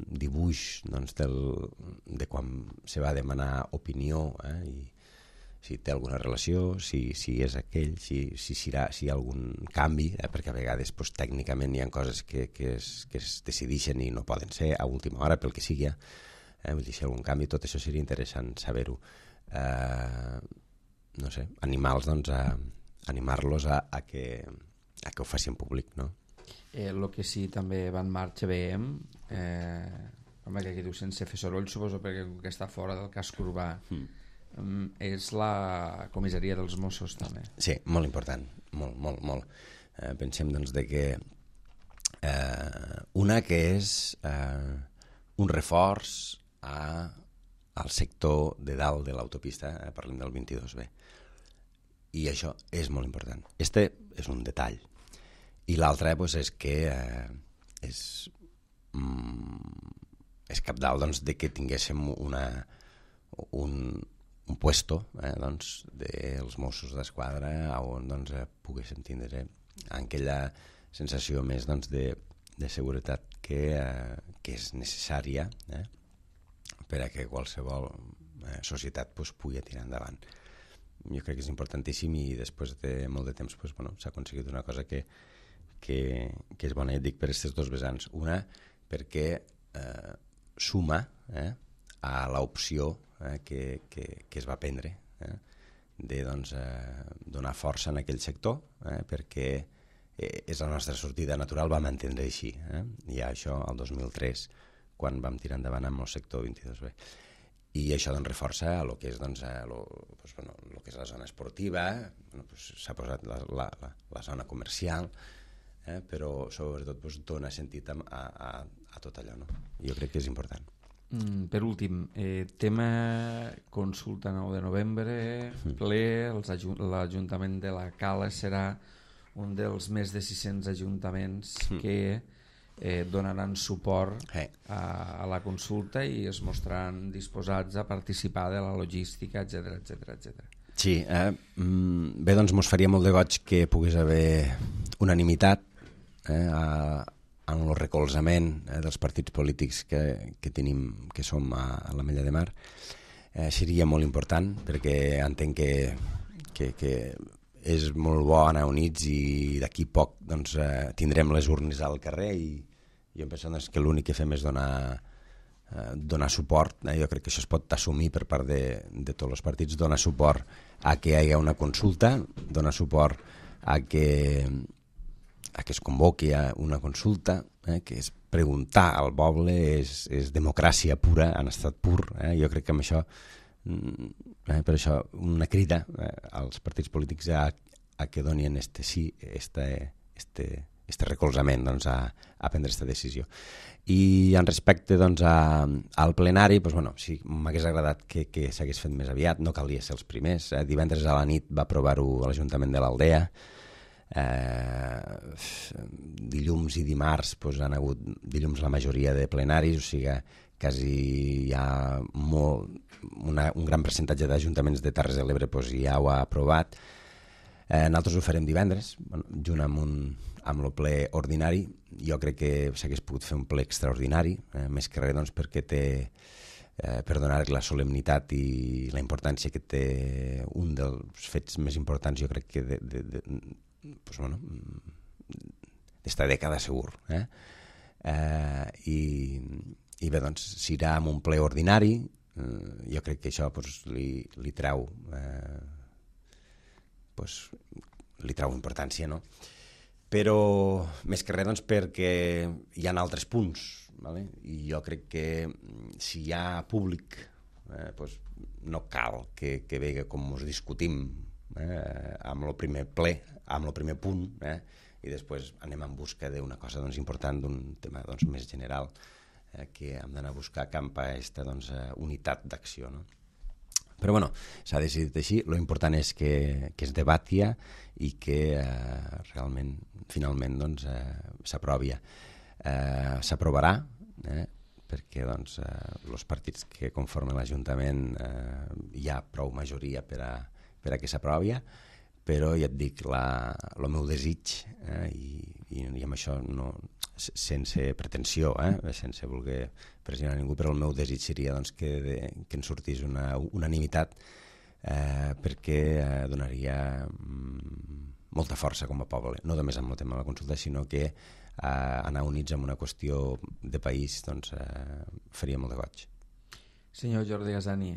dibuix doncs, de quan se va demanar opinió, i si té alguna relació, si és aquell, si hi ha algun canvi, perquè a vegades doncs, tècnicament hi ha coses que es decideixen i no poden ser a última hora, pel que sigui, vull dir, si hi ha algun canvi, tot això seria interessant saber-ho. No sé, animar-los a que ho facin públic, no? El que sí també va en marxa veiem, home, que aquí diu sense fer soroll, suposo perquè està fora del casc urbà, és la comissaria dels Mossos també. Sí, molt important, molt. Pensem doncs de que una que és un reforç al sector de dalt de l'autopista, parlem del 22B, i això és molt important. Este és un detall. I l'altre pues, és que és cabdal doncs, de que tinguéssim un puesto doncs, dels Mossos d'Esquadra on doncs, poguéssim tindre aquella sensació més doncs, de seguretat que és necessària per a que qualsevol societat pues, pugui tirar endavant. Jo crec que és importantíssim i després de molt de temps pues, s'ha aconseguit una cosa que és bona, ja et dic, per aquests dos vessants. Una, perquè suma a l'opció que es va prendre de doncs, donar força en aquell sector, perquè és la nostra sortida natural, vam entendre així. Ja això el 2003, quan vam tirar endavant amb el sector 22B. I això doncs, reforça el que és doncs, lo que és la zona esportiva, s'ha posat la zona comercial, però sobretot doncs, dona sentit a tot allò. No? Jo crec que és important. Per últim, tema consulta 9 de novembre, ple, l'Ajuntament de la Cala serà un dels més de 600 ajuntaments que donaran suport a la consulta i es mostraran disposats a participar de la logística, etc. Sí, bé, doncs mos faria molt de goig que pogués haver unanimitat en el recolzament dels partits polítics que tenim, que som a l'Ametlla de Mar. Seria molt important perquè entenc que és molt bo anar units i d'aquí poc doncs, tindrem les urnes al carrer i jo em penso doncs, que l'únic que fem és donar suport. Jo crec que això es pot assumir per part de tots els partits, donar suport a que hi hagi una consulta, donar suport a que es convoqui una consulta, que és preguntar al poble, és democràcia pura, en estat pur. Jo crec que amb això, per això, una crida als partits polítics a que donin este recolzament doncs, a prendre aquesta decisió. I en respecte doncs, al plenari, doncs, sí, m'hagués agradat que s'hagués fet més aviat, no calia ser els primers. Divendres a la nit va aprovar-ho a l'Ajuntament de l'Aldea, dilluns i dimarts doncs, han hagut dilluns la majoria de plenaris, o sigui, quasi hi ha un gran percentatge d'ajuntaments de Terres de l'Ebre doncs, ja ho ha aprovat. Nosaltres ho farem divendres, junt amb el ple ordinari. Jo crec que s'hagués pogut fer un ple extraordinari, més que res doncs, perquè té, per donar la solemnitat i la importància que té un dels fets més importants, jo crec que d'esta dècada segur. I bé, doncs, s'irà amb un ple ordinari, jo crec que això li treu importància, no? Però més que res perquè hi ha altres punts, vale? I jo crec que si hi ha públic no cal que vegi com us discutim amb el primer ple, amb el primer punt, i després anem en busca d'una cosa important, d'un tema més general, que hem d'anar a buscar cap a aquesta unitat d'acció, no? Però bueno, s'ha decidit així. Lo important és que es debati i que realment, finalment, s'aprovi. S'aprovarà, perquè els partits que conformen l'Ajuntament hi ha prou majoria per a que s'aprovi, però ja et dic, el meu desig, i amb això no, sense pretensió, sense voler pressionar ningú, però el meu desig seria que en sortís una unanimitat, perquè donaria molta força com a poble, no només amb el tema de la consulta, sinó que anar units en una qüestió de país faria molt de goig. Senyor Jordi Gasani,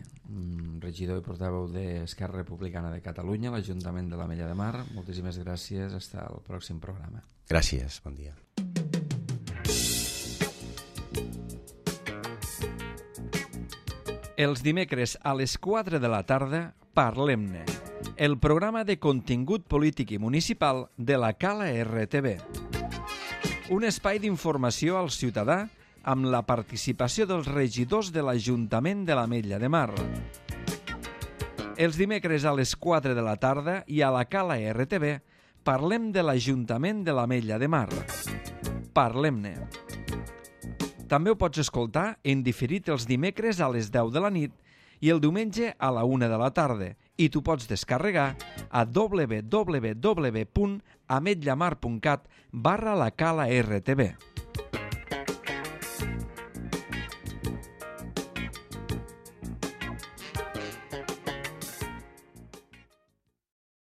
regidor i portaveu d'Esquerra Republicana de Catalunya, l'Ajuntament de l'Ametlla de Mar, moltíssimes gràcies. Fins al pròxim programa. Gràcies, bon dia. Els dimecres a les 4 de la tarda, Parlem-ne, el programa de contingut polític i municipal de la Cala RTV. Un espai d'informació al ciutadà amb la participació dels regidors de l'Ajuntament de l'Ametlla de Mar. Els dimecres a les 4 de la tarda i a la Cala RTV parlem de l'Ajuntament de l'Ametlla de Mar. Parlem-ne. També ho pots escoltar en diferit els dimecres a les 10 de la nit i el diumenge a la 1 de la tarda, i tu pots descarregar a www.ametllamar.cat/la Cala RTV.